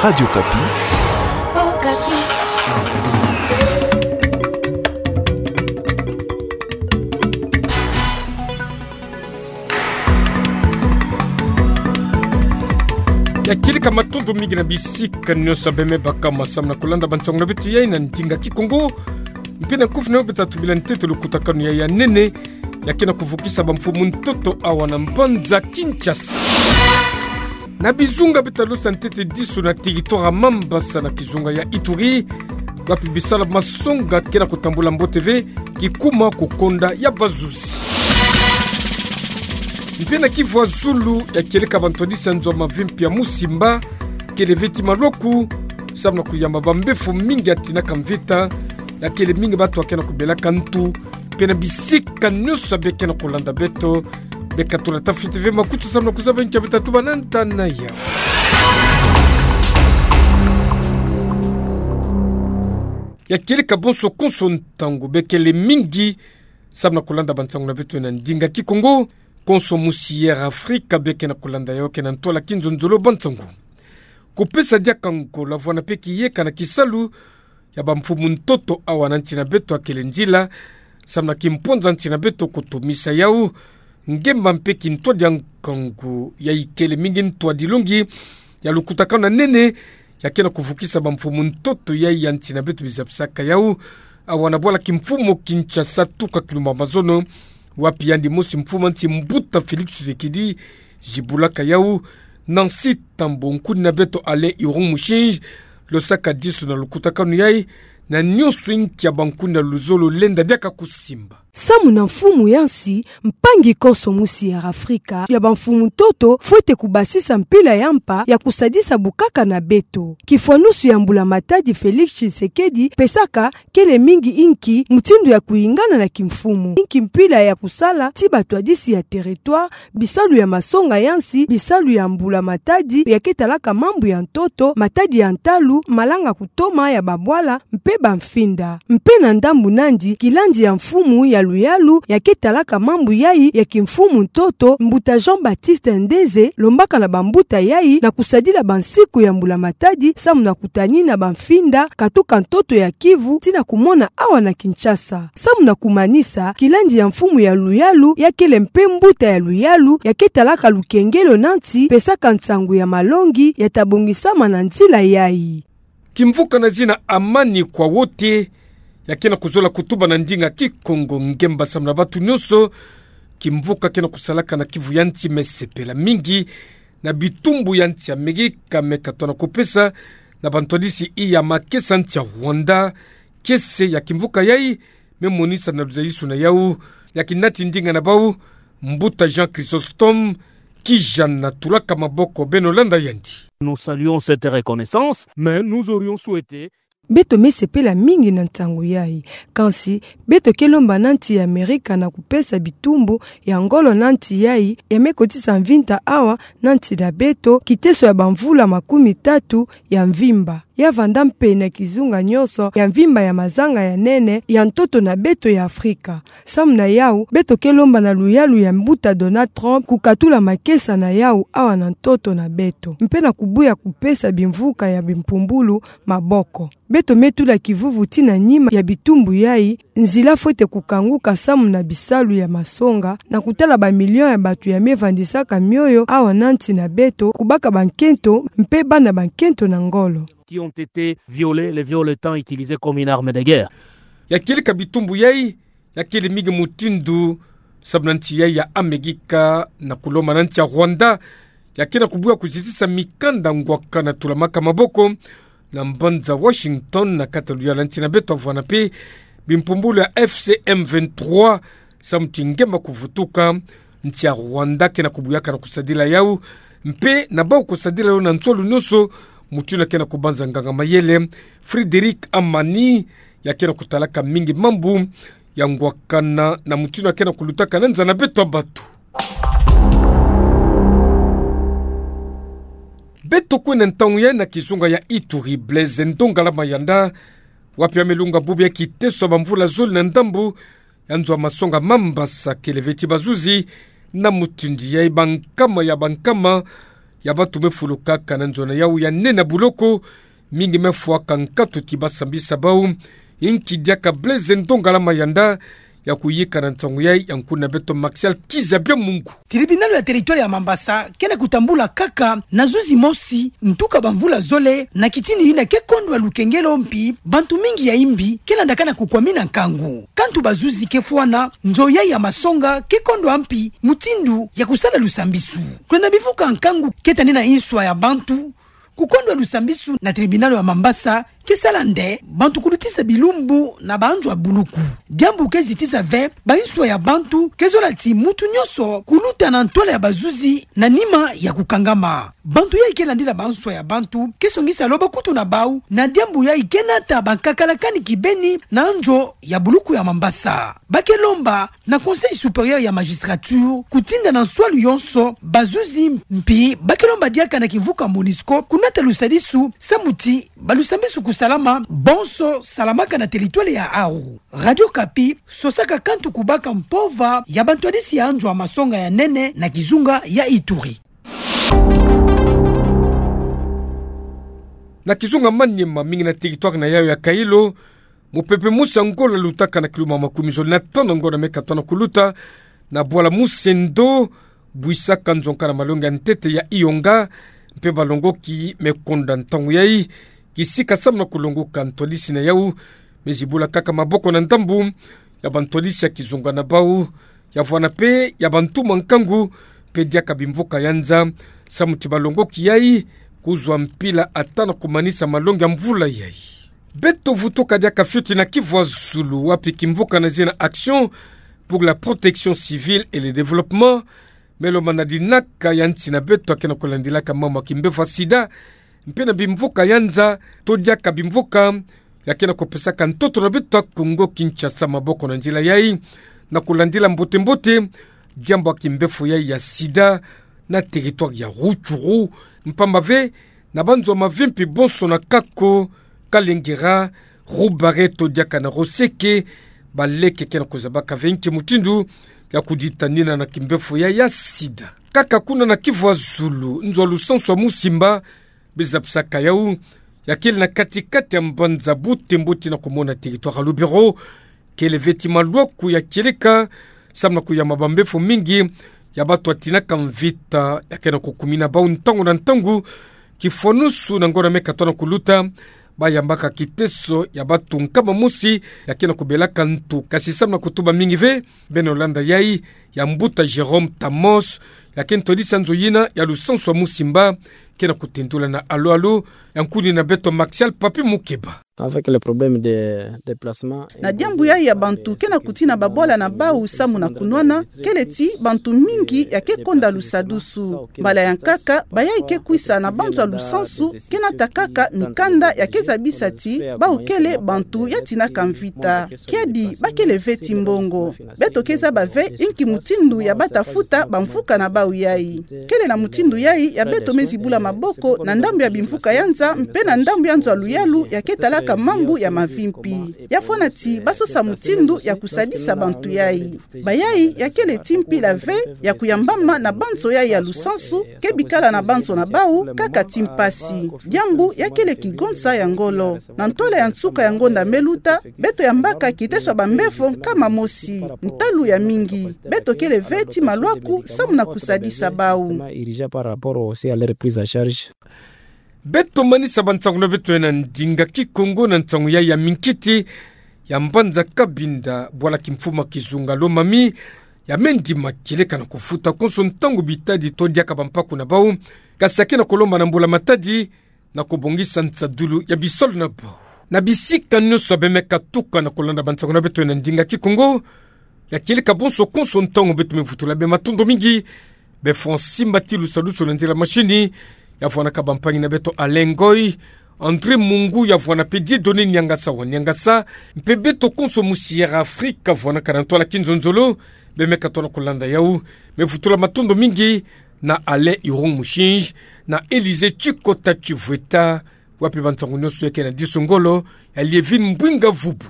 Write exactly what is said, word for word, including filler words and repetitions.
Radio Okapi. Ya kieleka matondo mingi na bisika nyonso bemebaka ma samu na kulanda bansangu na beto yai na ndinga Kikongo. Mpe na kufi na yo beta tubila ntete lukutakanu yai ya nene, ya ke na kuvukisa bamfumu ntoto awa na mbanza Kinshasa. Na bizunga beta losa ntete disu na territoire ya Mambasa na kizunga ya Ituri, wapi bisalu masonga ke na kutambula mbote ve, kikuma kukonda ya bazuzi. Mpe na Kivu ya zulu, ya kieleka bantwadisi ya nzo ya mavimpi ya Musimba kele ve ti malwaku, samu na kuyamba bambefu mingi ya tinaka mvita, ya kele mingi bantu ya ke na kubelaka ntu. Mpe na bisika nyonso beke na kulanda beto, beka tula tafiti ve makutu samu na kuzaba nkia beta tuba na ntana yau. Ya kieleka bonso konso ntangu, bekele mingi samu na kulanda bansangu na beto na ndinga Kikongo. Konso musi Air Africa beke na kulanda yau, ke na ntwala kinzonzolo bansangu. Kupesa diaka ngola vwanda mpe kiyeka na kisalu ya bamfumu ntoto awa na nsi na beto ya kele nzila samu na kimpwanza nsi na beto kutumisa yau. Ngemba mpe kintwadi ya nkangu yai kele mingi ntwadilongi ya lukutakanu ya nene, ya ke na kuvukisa bamfumu ntoto yai ya nsi na beto bizabisaka yau awa na bwala kimfumu Kinshasa tuka Kilumba Mazono, wapi yandi mosi mfumu ya nsi mbuta Félix Tshisekedi zibulaka yau. Nancy Tambo, nkuni na beto Alain Iron Mushinji losaka disu na lukutakanu yai, na nyonso inkia bankuni ya luzolo lenda diaka kusimba. Samu na mfumu ya nsi, mpangi konso musi Air Africa ya bamfumu ntoto fwete kubasisa mpila ya mpa ya kusadisa bukaka na beto. Kifwanusu ya mbula matadi Félix Tshisekedi pesaka kele mingi inki mutindu ya kuyingana na kimfumu, inki mpila ya kusala ti batwadisi ya territoire, bisalu ya masonga ya nsi, bisalu ya mbula matadi ya ke talaka mambu ya ntoto, matadi ya ntalu, malanga kutoma ya babwala, mpe bamfinda. Mpe na ndambu nandi, kilandi ya mfumu ya luyalu ya ke talaka mambu yai ya kimfumu ntoto, mbuta Jean-Baptiste Ndeze, lombaka na bambuta yai na kusadila bansiku ya mbula matadi samu na kutani na bamfinda katuka ntoto ya Kivu tii na kumona awa na Kinshasa. Samu na kumanisa, kilandi ya mfumu ya luyalu ya kele mpe mbuta ya luyalu ya ke talaka lukengelo na nsi pesaka nsangu ya malongi ya ta bongisama na nzila yai. Kimvuka na zina Amani kwa Wote ya ke na kuzola kutuba na ndinga Kikongo ngemba samu na bantu nyonso. Kimvuka ke na kusalaka na Kivu ya nsi me sepela mingi na bitumbu ya nsi Amerika me katona kupesa na bantwadisi ya makesa nsi ya Rwanda. Kiese ya kimvuka yai me monisa na luzayisu na yau ya kinati ndinga na bau, mbuta Jean Chrysostome Kijana. Tulaka maboko beno landa yandi. Nous saluons cette reconnaissance, mais nous aurions souhaité... Beto me sepela mingi na nsangu yai. Kansi, beto ke lomba na nsi ya Amerika na kupesa bitumbu ya ngolo na nsi yai, ya me kotisa mvinta awa na nsi na beto, kiteso ya bamvula makumi tatu ya mvimba. Ya vanda mpe na kizunga nyonso ya mvimba ya mazanga ya nene ya ntoto na beto ya Afrika. Samu na yau, beto ke lomba na luyalu ya mbuta Donald Trump kukatula makesa na yau awa na ntoto na beto, mpe na kubuya kupesa bimvuka ya bimpumbulu maboko. Beto me tula kivuvu tii na nima ya bitumbu yai, nzila fwete kukanguka samu na bisalu ya masonga, na kutala bamilio ya bantu ya me vandisaka mioyo awa na nsi na beto, kubaka bankento mpe bana bankento na ngolo. Qui ont été violés, les violets étant utilisés comme une arme de guerre. Ya kieleka bitumbu yai ya kele mingi mutindu, samu na nsi yai ya Amerika na kulomba na nsi ya Rwanda ya ke na kubuya kuzitisa mikanda ngwaka na tulamaka maboko na mbanza Washington na kati ya luyalu ya nsi na beto, vwanda mpe bimpumbulu ya F C M vingt-trois, samu ti ngemba kuvutuka. Nsi ya Rwanda ke na kubuyaka na kusadila yau, mpe na bau kusadila yau na nswalu nyonso, mutindu ya ke na kubanza nganga mayele Frédéric Amani, ya ke na kutalaka mingi mambu ya ngwakana na mutindu ya ke na kulutaka na nza na beto ya bantu. Beto kwe na ntangu yai na kizunga ya Ituri, Blaise Ndongala Mayanda, wapi ya me lunga bubu ya kiteso ya bamvula zole na ndambu ya nzo ya masonga Mambasa, kele ve ti bazuzi, na mutindu yai bankama ya bankama ya bato me fulu kaka na nzo na yawu ya nene ya buloko, mingi me fwaka nkatu ti basambisa bau. Inki diaka Blaise Ndongala Mayanda, ya kuyika na nsangu yayi, ya nkuna beto Martial Kizabia Mungu. Tribunal ya territoire ya Mambasa ke na kutambula kaka na zuzi mosi, ntuka bamvula zole, na kitini yina ke kondwa lukengelo mpi bantu mingi ya imbi ke landakana kukwamina nkangu. Kantu bazuzi ke fwana, nzo yayi ya masonga ke kondwa mpi mutindu ya kusala lusambisu. Kwenda bivuka nkangu ke tani na inswa ya bantu, kukondwa lusambisu na tribunal ya Mambasa ke sala nde bantu kulutisa bilumbu na banzo ya buluku. Diambu ke zitisa ve bainswa ya bantu ke zola ti mutu nyonso kuluta na ntwala ya bazuzi na nima ya kukangama. Bantu yayi ke landila bainswa ya bantu ke songisa lobo kutu na bau, na diambu yayi ke nata bankakalakani kibeni na nzo ya buluku ya Mambasa. Ba ke lomba na Conseil supérieur ya magistrature kutinda na nswalu yonso bazuzi, mpi ba ke lomba diaka na kivuka MONUSCO kunata lusadisu samu ti balusambisu kusalama bonso salamaka na territoire ya awu. Radio Okapi sosaka kantu kubaka mpova ya bantwadisi ya nzo ya masonga ya nene na kizunga ya Ituri. Na kizunga Maniema, mingi na territoire na yawu ya Kailo, mupepe mosi ya ngolo lutaka na kiluma makumi zole na tanu ngonda me katona kuluta na bwala Musendo, bwisaka nzonka na malongi ya ntete ya Iyonga, mpe balongoki me konda ntangu yayi kisika samu na kulongoka. Ntwadisi na yawu me zibula kaka maboko na ndambu ya bantwadisi ya kizunga na bau, ya vwanda mpe ya bantu mwa nkangu, mpe diaka bimvuka ya nza, samu ti balongoki yayi kuzwa mpila ata na kumanisa malongi ya mvula yayi. Beto vutuka diaka fioti na Kivu ya Zulu, wapi kimvuka na zina Action pour la Protection Civile et le Développement me lomba na dinaka ya nsi na beto ya ke na kulandilaka mambu ya kimbevo ya sida, mpe na bimvuka ya nza, to diaka bimvuka ya ke na kupesaka ntoto na beto ya Kongo Kinshasa maboko na nzila yayi, na kulandila mbote-mbote diambu ya kimbevo yayi ya sida na territoire ya Rutshuru, mpamba ve na banzo ya mavimpi bonso na Kako, Kalengera, Rubare to diaka na Roseke, baleke ke na kuzabaka ve nki mutindu ya kuditanina na kimbevo yayi ya sida. Kaka kuna na Kivu ya Zulu, nzo ya lusansu ya Musimba, bizapisaka yawu, ya kele na kati-kati ya mbanza Butembo tii na kumona territoire ya Lubero, kele ve ti malwaku ya kieleka samu na kuyamba bambevo mingi ya bato ya tinaka mvita ya ke na kukumina bau ntangu na ntangu. Kifwanusu na ngonda me katona kuluta, bayambaka kiteso ya bato nkama mosi ya ke na kubelaka ntu, kasi samu na kutuba mingi ve. Beno landa yayi ya mbuta Jérôme Tamos, ya ke ntwadisi ya nzo yina ya lusansu ya Musimba, ke na kutendula na alo-alo ya nkuni na beto Martial Papi Mukeba. Avec le problème de déplacement, na diambu yayi ya bantu ke na kutina babwala na bau samu na kunwana, kele ti bantu mingi ya ke konda lusadusu. Mbala ya nkaka, bayayi ke kwisa na banzo ya lusansu ke nata kaka mikanda ya ke zabisa ti bau kele bantu ya tinaka mvita. Kiadi ba kele ve ti mbongo. Beto ke zaba ve inki mutindu ya bata futa bamvuka na bau yayi. Kele na mutindu yayi ya beto me zibula maboko na ndambu ya bimvuka ya nza mpe na ndambu ya nzo ya luyalu ya ke talaka mambu ya mavimpi. Ya fwana ti ba sosa mutindu ya kusadisa bantu yayi. Bayayi ya kele ti mpila ve ya kuyambama na banzo yayi ya lusansu, ke bikala na banzo na bau kaka ti mpasi. Diambu ya kele kigonsa ya ngolo. Na ntwala ya nsuka ya ngonda me luta, beto yambaka kiteso ya bambevo nkama mosi. Ntalu ya mingi, beto kele ve ti malwaku samu na kusadisa bau. Beto manisa bansangu na beto ya na ndinga Kikongo na nsangu yayi ya minkiti ya mbanza Cabinda, bwala kimfumu ya kizunga Lomami, ya me ndima kieleka na kufuta konso ntangu bitadi to diaka bampaku na bau, kasi ya ke na kulomba na mbula-matadi na kubongisa nsadulu ya bisalu na bau. Na bisika nyonso ya be me katuka na kulanda bansangu na beto ya na ndinga Kikongo, ya kieleka bonso konso ntangu, beto me vutula be matondo mingi. Be fwa nsimba ti lusadusu na nzila mashini, ya vwanaka bampangi na beto Alain Ngoy, André Mungu, ya vwana mpe Dieudonné Niangasa wa Niangasa, mpe beto konso mu Sierra Africa vwanaka na ntwala kinzonzolo, be me katona kulanda yawu. Me vutula matondo mingi na Alain Irung Mushinji, na Élisée Tshikota Tshivweta, wapi bansangu nyonso ya ke na diso ngolo, ya Lievine Mbwinga Vubu.